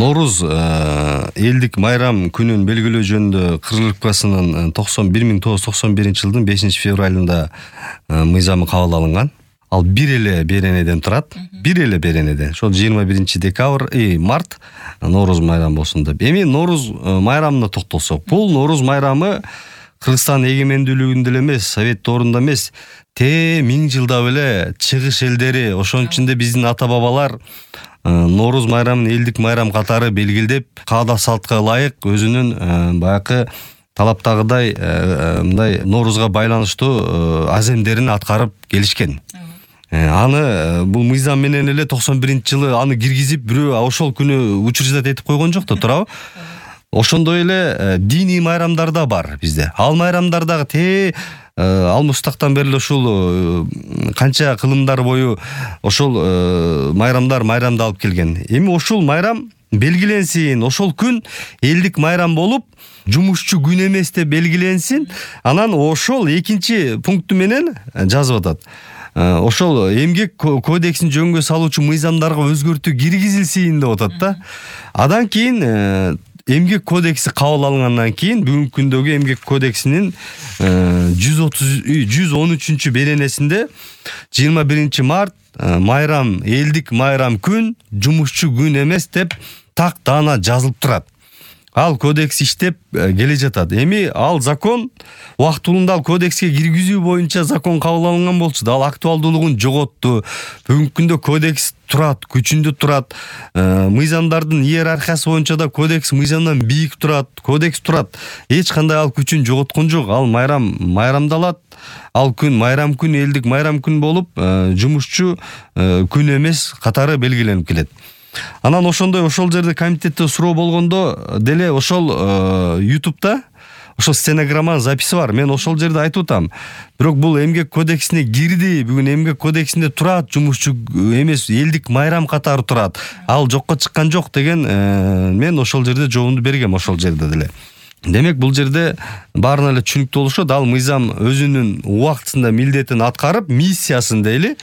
Нооруз элдик майрам күнүн белгилөө жөнүндө Кыргызстанын 1991 жылдын 5-февралында мыйзамы кабыл алынган. Ал бир эле беренеден турат. Бир эле беренеден. Ошол 21 март Нооруз майрам болсун деп. Эми Нооруз майрамына токтолсок, бул Нооруз майрамы Кыргызстан эгемендүүлүгүндө эле эмес, Совет доорунда эмес, 1000 жылдап эле чыгыш элдери, ошонун ичинде биздин ата-бабалар Нооруз майрамын элдик майрам катары белгилдеп, каада салтка ылайык өзүнүн баягы талаптагыдай мындай Ноорузга байланыштуу аземдерин аткарып келишкен. Аны бул мыйзам менен эле 91-жылы аны киргизип, бирөө ошол күнү учреждать этип койгон жок да, туурабы? Ошондой эле диний майрамдар да бар бизде. Ал майрамдар дагы ал мустактан бери ушул канча кылымдар бою ошол майрамдар майрамдалып келген. Эми ушул майрам белгиленсин, ошол күн элдик майрам болуп, жумушчу күн эмес деп белгиленсин. Анан ошол экинчи пункту менен жазып атат. Ошол эмгек кодексин жөнгө салуучу мыйзамдарга өзгөртүү киргизилсин деп атат да. Адан кийин эмгек кодекси кабыл алынгандан кийин бүгүнкү күндөгү эмгек кодексинин 113 беренесинде 21 март майрам, элдик майрам күн, жумушчу күн эмес деп так даана жазылып турат. Ал кодекс иштеп келе жатат. Эми ал закон убактылуулунда ал кодекске киргизүү боюнча закон кабыл алынган болчу да, ал актуалдуулугун жоготту. Бүгүнкү күндө кодекс турат, күчүндө турат. Мыйзамдардын иерархиясы боюнча да кодекс мыйзамдан бийик турат, кодекс турат. Эч кандай ал күчүн жоготкон жок. Ал майрамдалат. Ал күн майрам күн, элдик майрам күн болуп, жумушчу күн эмес катары белгиленип келет. Анан ошондой ошол жерде комитетте суроо болгондо деле ошол YouTube'да ошол стенограмманын записи бар. Мен ошол жерде айтып атам. Бирок бул эмгек кодексине кирди. Бүгүн эмгек кодексинде турат, жумушчу эмес элдик майрам катары турат. Ал жокко чыккан жок деген мен ошол жерде жообумду бергем, ошол жерде деле. Демек бул жерде баарына эле түшүнүктүү болушот. Ал мыйзам өзүнүн убактысында милдетин аткарып, миссиясын дейли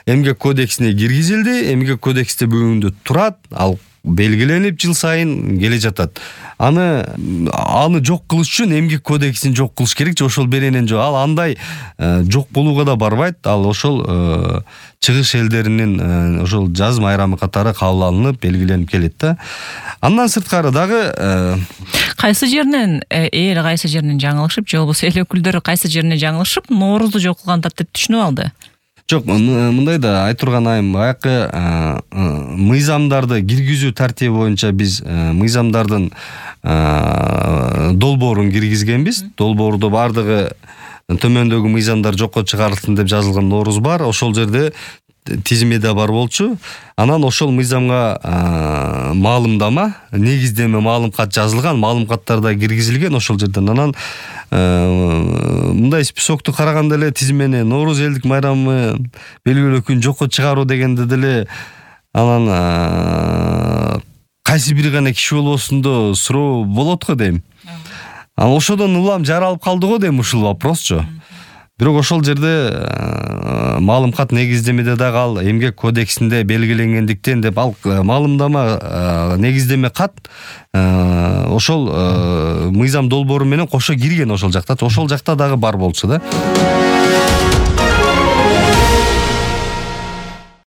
эмгек кодексине киргизилди. Эмгек кодексте бүгүндө турат, ал белгиленип жыл сайын келе жатат. Аны жок кылыш үчүн эмгек кодексин жок кылыш керек же ошол беренен жок. Ал андай жок болууга да барбайт. Ал ошол чыгыш элдеринин ошол жаз майрамы катары кабыл алынып, белгиленип келет да. Андан сырткары дагы кайсы жеринен эл кайсы жеринен жаңылышып, же болбосо эл өкүлдөрү кайсы жеринен жаңылышып, Ноорузду жок кылгандат деп түшүнүп алды. Жок, мындай да айтурган айым, баягы мыйзамдарды киргизүү тартиби боюнча биз мыйзамдардын долбоорун киргизгенбиз. Долбоордо бардыгы төмөндөгү мыйзамдар жокко чыгарылсын деп жазылган Нооруз бар. Ошол жерде тизимеде бар болчу. Анан ошол мыйзамга маалымдама, негиздеме маалымкат жазылган, маалымкаттар да киргизилген ошол жерден. Анан мындай списокту караганда эле тизимени Нооруз элдик майрамы белгилөө күн жокко чыгаруу дегенде деле анан кайсы бир гана киши болбосун да суроо болот го дейм. Анан ошодон улам жаралып калды го дейм ушул вопросчу. Бирок ошол жерде маалымкат негиздемеде дагы ал эмгек кодексинде белгиленгендиктен деп ал маалымдама негиздеме кат ошол мыйзам долбоору менен кошо кирген ошол жакта. Ошол жакта дагы бар болчу да.